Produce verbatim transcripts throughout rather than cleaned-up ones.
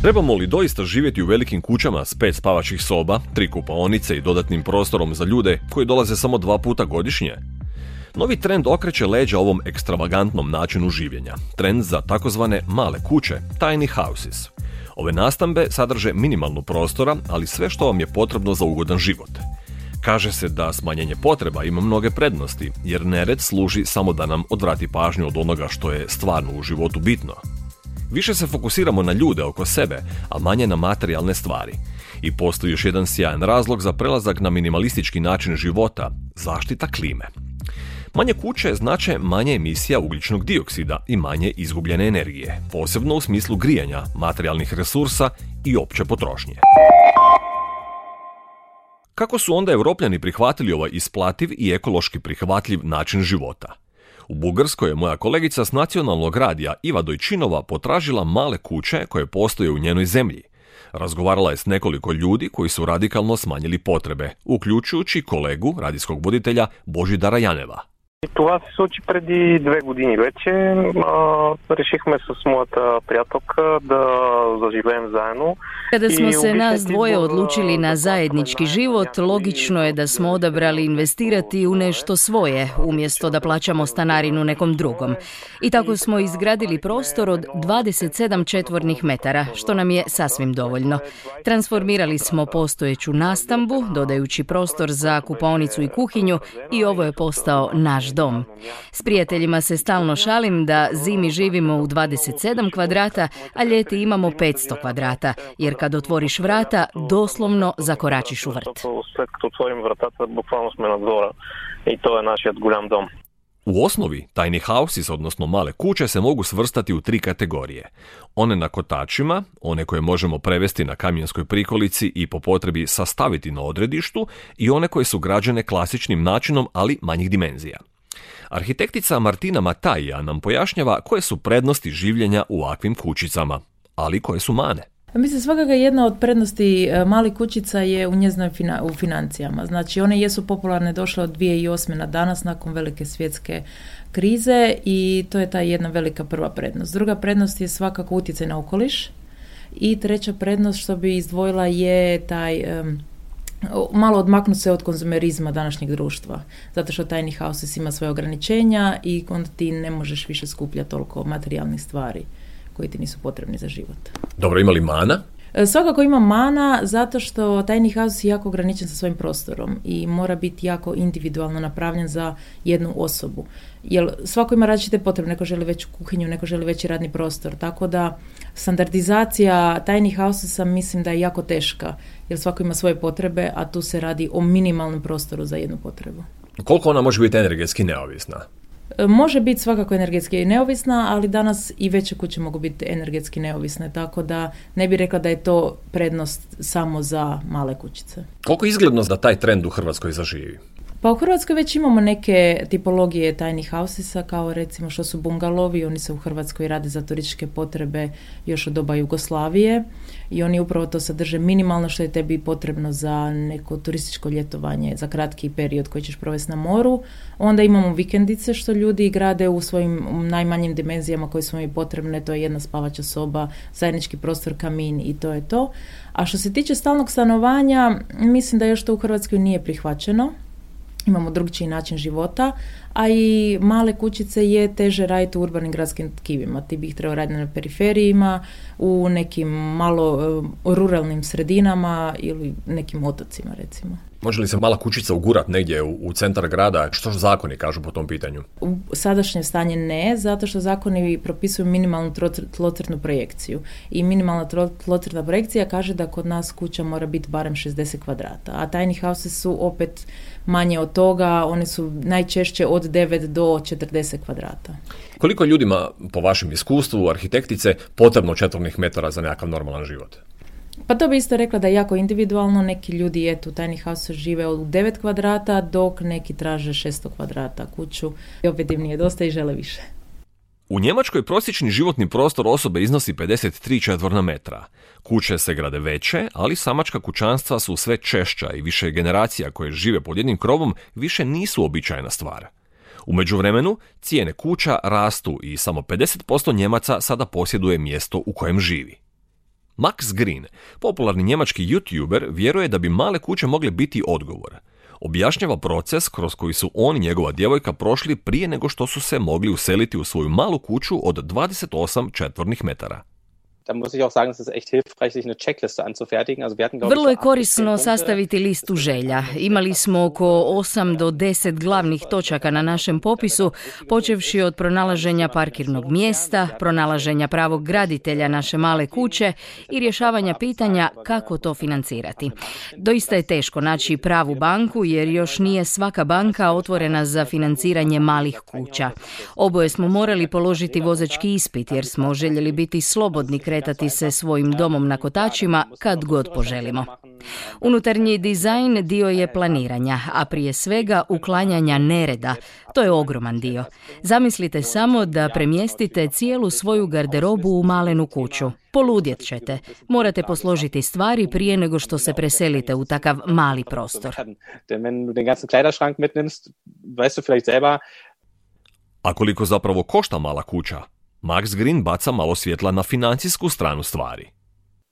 Trebamo li doista živjeti u velikim kućama s pet spavačih soba, tri kupaonice i dodatnim prostorom za ljude koji dolaze samo dva puta godišnje? Novi trend okreće leđa ovom ekstravagantnom načinu življenja. Trend za takozvane male kuće, tiny houses. Ove nastambe sadrže minimalnu prostora, ali sve što vam je potrebno za ugodan život. Kaže se da smanjenje potreba ima mnoge prednosti, jer nered služi samo da nam odvrati pažnju od onoga što je stvarno u životu bitno. Više se fokusiramo na ljude oko sebe, a manje na materijalne stvari. I postoji još jedan sjajan razlog za prelazak na minimalistički način života – zaštita klime. Manje kuće znače manje emisija ugljičnog dioksida i manje izgubljene energije, posebno u smislu grijanja, materijalnih resursa i opće potrošnje. Kako su onda Europljani prihvatili ovaj isplativ i ekološki prihvatljiv način života? U Bugarskoj je moja kolegica s nacionalnog radija Iva Dojčinova potražila male kuće koje postoje u njenoj zemlji. Razgovarala je s nekoliko ljudi koji su radikalno smanjili potrebe, uključujući kolegu, radijskog voditelja Божидара Янева. Това се случи преди две години вече. А, решихме с моята приятелка да заживеем заедно. Kada smo se nas dvoje odlučili na zajednički život, logično je da smo odabrali investirati u nešto svoje, umjesto da plaćamo stanarinu nekom drugom. I tako smo izgradili prostor od dvadeset sedam četvornih metara, što nam je sasvim dovoljno. Transformirali smo postojeću nastambu, dodajući prostor za kupaonicu i kuhinju, i ovo je postao naš dom. S prijateljima se stalno šalim da zimi živimo u dvadeset sedam kvadrata, a ljeti imamo petsto kvadrata, jer kad otvoriš vrata, doslovno zakoračiš u vrt. U osnovi, tiny houses, odnosno male kuće, se mogu svrstati u tri kategorije. One na kotačima, one koje možemo prevesti na kamijenskoj prikolici i po potrebi sastaviti na odredištu, i one koje su građene klasičnim načinom, ali manjih dimenzija. Arhitektica Martina Matajija nam pojašnjava koje su prednosti življenja u ovakvim kućicama, ali koje su mane. Mislim, svakako jedna od prednosti malih kućica je u njezinoj fina, u financijama. Znači, one jesu popularne, došle od dvije tisuće osme na danas nakon velike svjetske krize i to je ta jedna velika prva prednost. Druga prednost je svakako utjecaj na okoliš i treća prednost što bi izdvojila je taj um, malo odmaknuti se od konzumerizma današnjeg društva. Zato što tiny houses ima svoje ograničenja i onda ti ne možeš više skupljati toliko materijalnih stvari koji ti nisu potrebni za život. Dobro, ima li mana? Svakako ima mana zato što tiny house je jako ograničen sa svojim prostorom i mora biti jako individualno napravljen za jednu osobu. Jer svako ima različite potrebe, neko želi veću kuhinju, neko želi veći radni prostor, tako da standardizacija tiny housesa mislim da je jako teška, jer svako ima svoje potrebe, a tu se radi o minimalnom prostoru za jednu potrebu. Koliko ona može biti energetski neovisna? Može biti svakako energetski neovisna, ali danas i veće kuće mogu biti energetski neovisne, tako da ne bih rekla da je to prednost samo za male kućice. Koliko je izgledno da taj trend u Hrvatskoj zaživi? Pa u Hrvatskoj već imamo neke tipologije tiny housesa, kao recimo što su bungalovi, oni se u Hrvatskoj rade za turističke potrebe još od doba Jugoslavije i oni upravo to sadrže minimalno što je tebi potrebno za neko turističko ljetovanje, za kratki period koji ćeš provesti na moru. Onda imamo vikendice što ljudi grade u svojim najmanjim dimenzijama koje su im potrebne, to je jedna spavača soba, zajednički prostor, kamin i to je to. A što se tiče stalnog stanovanja, mislim da još to u Hrvatskoj nije prihvaćeno. Imamo drugčiji način života, a i male kućice je teže raditi u urbanim gradskim tkivima. Ti bi ih trebao raditi na periferijima, u nekim malo uh, ruralnim sredinama ili nekim otocima, recimo. Može li se mala kućica ugurat negdje u, u centar grada? Što zakoni kažu po tom pitanju? U sadašnje stanje ne, zato što zakoni propisuju minimalnu tlocrtnu projekciju. I minimalna tlocrtna projekcija kaže da kod nas kuća mora biti barem šezdeset kvadrata. A tiny houses su opet manje od toga, one su najčešće od devet do četrdeset kvadrata. Koliko ljudima, po vašem iskustvu, arhitektice, potrebno četvornih metara za nekakav normalan život? Pa to bi isto rekla da je jako individualno. Neki ljudi eto, u tiny house žive u devet kvadrata, dok neki traže šesto kvadrata kuću. I opet im nije dosta i žele više. U Njemačkoj prosječni životni prostor osobe iznosi pedeset tri četvorna metra. Kuće se grade veće, ali samačka kućanstva su sve češća i više generacija koje žive pod jednim krovom više nisu običajna stvar. U međuvremenu, cijene kuća rastu i samo pedeset posto Njemaca sada posjeduje mjesto u kojem živi. Max Green, popularni njemački YouTuber, vjeruje da bi male kuće mogle biti odgovor. Objašnjava proces kroz koji su on i njegova djevojka prošli prije nego što su se mogli useliti u svoju malu kuću od dvadeset osam četvornih metara. Vrlo je korisno sastaviti listu želja. Imali smo oko osam do deset glavnih točaka na našem popisu, počevši od pronalaženja parkirnog mjesta, pronalaženja pravog graditelja naše male kuće i rješavanja pitanja kako to financirati. Doista je teško naći pravu banku jer još nije svaka banka otvorena za financiranje malih kuća. Oboje smo morali položiti vozački ispit jer smo željeli biti slobodni kretati se svojim domom na kotačima kad god poželimo. Unutarnji dizajn dio je planiranja, a prije svega uklanjanja nereda. To je ogroman dio. Zamislite samo da premjestite cijelu svoju garderobu u malenu kuću. Poludjet ćete. Morate posložiti stvari prije nego što se preselite u takav mali prostor. A koliko zapravo košta mala kuća? Max Green baca malo svjetla na financijsku stranu stvari.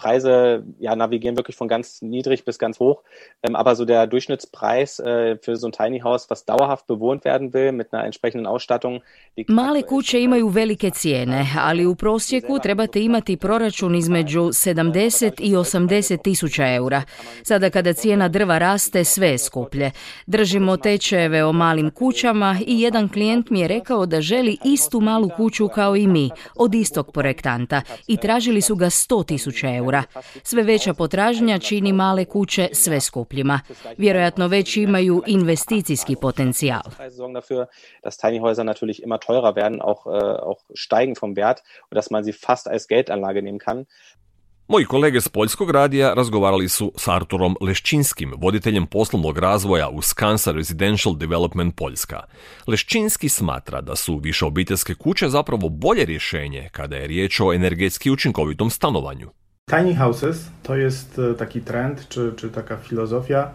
Preise ja, navigieren wirklich von ganz niedrig bis ganz hoch, ähm, aber so der Durchschnittspreis äh, für so ein Tiny House, was dauerhaft bewohnt werden will, mit einer entsprechenden Ausstattung. Male kuće imaju velike cijene, ali u prosjeku trebate imati proračun između sedamdeset i osamdeset tisuća eura. Sada kada cijena drva raste, sve je skuplje. Držimo tečajeve o malim kućama i jedan klijent mi je rekao da želi istu malu kuću kao i mi, od istog projektanta, i tražili su ga sto tisuća eura. Sve veća potražnja čini male kuće sve skupljima. Vjerojatno već imaju investicijski potencijal. Moji kolege s Poljskog radija razgovarali su s Arturom Leščinskim, voditeljem poslovnog razvoja u Skansa Residential Development Poljska. Leščinski smatra da su višeobiteljske kuće zapravo bolje rješenje kada je riječ o energetski učinkovitom stanovanju. Tiny houses to jest taki trend, czy, czy taka filozofia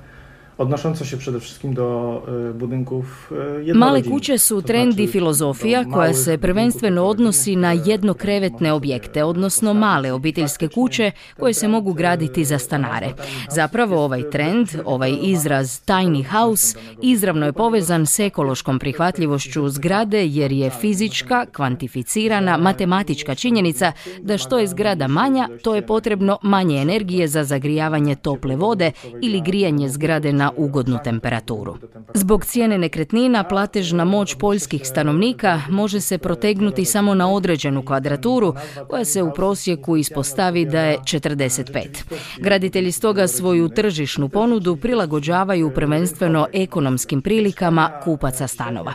odnosząca się przede wszystkim do budynków jednorodzinnych. Male kuće su trend i filozofija koja se prvenstveno odnosi na jednokrevetne objekte, odnosno male obiteljske kuće koje se mogu graditi za stanare. Zapravo ovaj trend, ovaj izraz tiny house, izravno je povezan s ekološkom prihvatljivošću zgrade jer je fizička, kvantificirana, matematička činjenica da što je zgrada manja, to je potrebno manje energije za zagrijavanje tople vode ili grijanje zgrade na ugodnu temperaturu. Zbog cijene nekretnina, platežna moć poljskih stanovnika može se protegnuti samo na određenu kvadraturu, koja se u prosjeku ispostavi da je četrdeset pet. Graditelji stoga svoju tržišnu ponudu prilagođavaju prvenstveno ekonomskim prilikama kupaca stanova.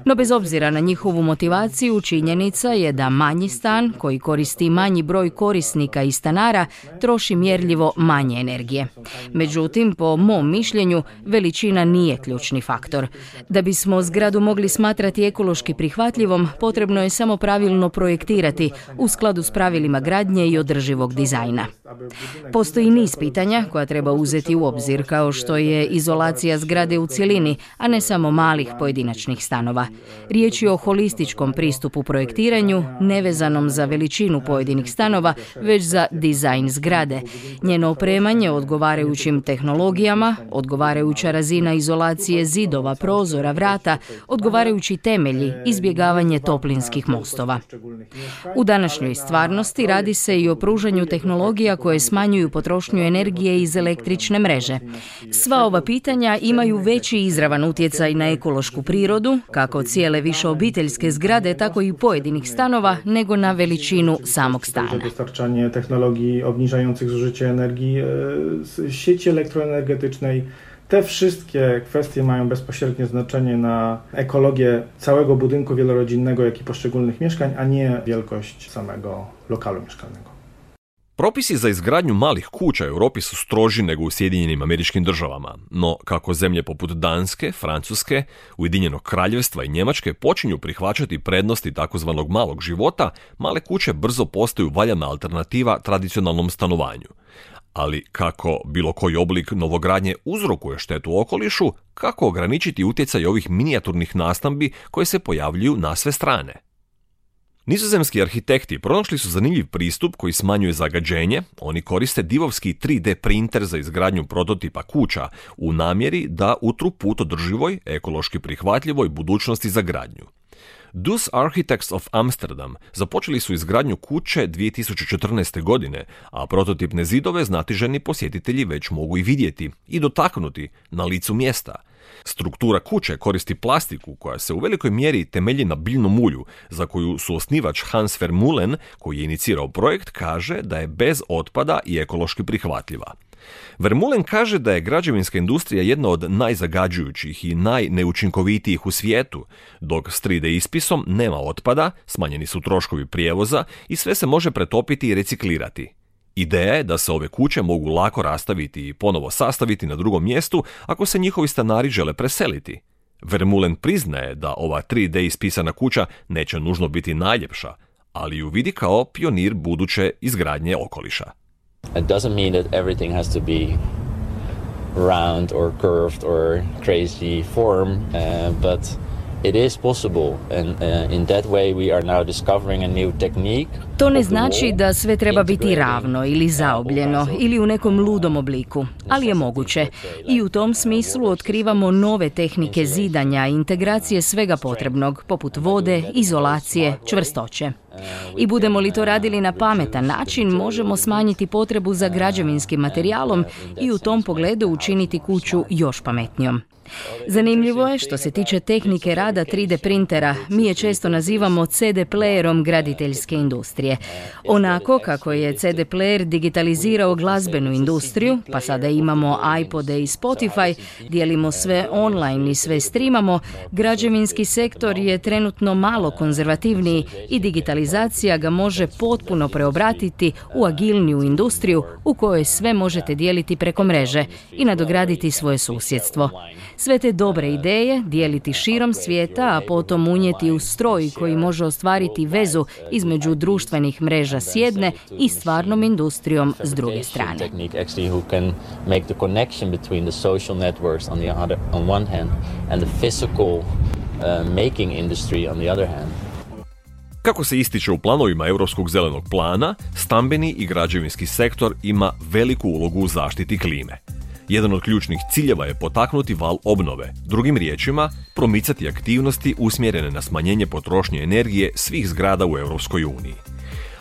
No bez obzira na njihovu motivaciju, činjenica je da manji stan, koji koristi manji broj korisnika i stanara, troši mjerljivo manje energije. Međutim, po mom mišljenju, veličina nije ključni faktor. Da bismo zgradu mogli smatrati ekološki prihvatljivom, potrebno je samo pravilno projektirati u skladu s pravilima gradnje i održivog dizajna. Postoji niz pitanja koja treba uzeti u obzir, kao što je izolacija zgrade u cjelini, a ne samo malih pojedinačnih stanova. Riječ je o holističkom pristupu projektiranju, nevezanom za veličinu pojedinih stanova, već za dizajn zgrade. Njeno opremanje odgovarajućim tehnologijama, odgovarajuća razina izolacije zidova, prozora, vrata, odgovarajući temelji, izbjegavanje toplinskih mostova. U današnjoj stvarnosti radi se i o pružanju tehnologija koje smanjuju potrošnju energije iz električne mreže. Sva ova pitanja imaju veći izravan utjecaj na ekološku prirodu, kako cijele višeobiteljske zgrade, tako i pojedinih stanova, nego na veličinu samog stana. Dostarczanie technologii obniżających zużycie energii z sieci elektroenergetycznej. Te wszystkie kwestie mają bezpośrednie znaczenie na ekologię całego budynku wielorodzinnego, jak i poszczególnych mieszkań, a nie wielkość samego lokalu mieszkalnego. Propisi za izgradnju malih kuća u Europi su stroži nego u Sjedinjenim Američkim Državama, no kako zemlje poput Danske, Francuske, Ujedinjenog Kraljevstva i Njemačke počinju prihvaćati prednosti takozvanog malog života, male kuće brzo postaju valjana alternativa tradicionalnom stanovanju. Ali kako bilo koji oblik novogradnje uzrokuje štetu okolišu, kako ograničiti utjecaj ovih minijaturnih nastambi koje se pojavljuju na sve strane? Nizozemski arhitekti pronašli su zanimljiv pristup koji smanjuje zagađenje. Oni koriste divovski tri D printer za izgradnju prototipa kuća u namjeri da utru put održivoj, ekološki prihvatljivoj budućnosti za gradnju. Dus Architects of Amsterdam započeli su izgradnju kuće dvije tisuće četrnaeste. godine, a prototipne zidove znatiženi posjetitelji već mogu i vidjeti i dotaknuti na licu mjesta. Struktura kuće koristi plastiku koja se u velikoj mjeri temelji na biljnom ulju, za koju suosnivač Hans Vermeulen, koji je inicirao projekt, kaže da je bez otpada i ekološki prihvatljiva. Vermeulen kaže da je građevinska industrija jedna od najzagađujućih i najneučinkovitijih u svijetu, dok s tri D ispisom nema otpada, smanjeni su troškovi prijevoza i sve se može pretopiti i reciklirati. Ideja je da se ove kuće mogu lako rastaviti i ponovo sastaviti na drugom mjestu ako se njihovi stanari žele preseliti. Vermeulen priznaje da ova tri D ispisana kuća neće nužno biti najljepša, ali ju vidi kao pionir buduće izgradnje okoliša. It doesn't mean that everything has to be round or curved or crazy form, uh, but it is possible, and uh, in that way we are now discovering a new technique. To ne znači da sve treba biti ravno ili zaobljeno ili u nekom ludom obliku, ali je moguće. I u tom smislu otkrivamo nove tehnike zidanja i integracije svega potrebnog, poput vode, izolacije, čvrstoće. I budemo li to radili na pametan način, možemo smanjiti potrebu za građevinskim materijalom i u tom pogledu učiniti kuću još pametnijom. Zanimljivo je što se tiče tehnike rada tri D printera, mi je često nazivamo C D playerom graditeljske industrije. Onako kako je C D player digitalizirao glazbenu industriju, pa sada imamo iPode i Spotify, dijelimo sve online i sve streamamo, građevinski sektor je trenutno malo konzervativniji i digitalizacija ga može potpuno preobratiti u agilniju industriju u kojoj sve možete dijeliti preko mreže i nadograditi svoje susjedstvo. Sve te dobre ideje dijeliti širom svijeta, a potom unijeti u stroj koji može ostvariti vezu između društvenih mreža s jedne i stvarnom industrijom s druge strane. Kako se ističe u planovima Europskog zelenog plana, stambeni i građevinski sektor ima veliku ulogu u zaštiti klime. Jedan od ključnih ciljeva je potaknuti val obnove, drugim riječima, promicati aktivnosti usmjerene na smanjenje potrošnje energije svih zgrada u Europskoj uniji.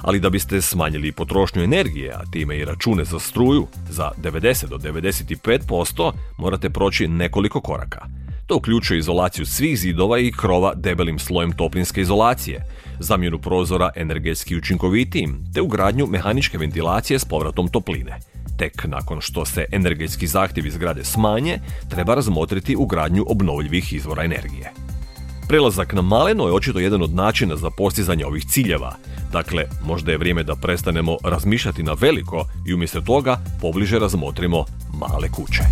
Ali da biste smanjili potrošnju energije, a time i račune za struju, za devedeset do devedeset pet posto morate proći nekoliko koraka. To uključuje izolaciju svih zidova i krova debelim slojem toplinske izolacije, zamjenu prozora energetski učinkovitijim, te ugradnju mehaničke ventilacije s povratom topline. Tek nakon što se energetski zahtjevi zgrade smanje, treba razmotriti ugradnju obnovljivih izvora energije. Prelazak na maleno je očito jedan od načina za postizanje ovih ciljeva. Dakle, možda je vrijeme da prestanemo razmišljati na veliko i umjesto toga pobliže razmotrimo male kuće.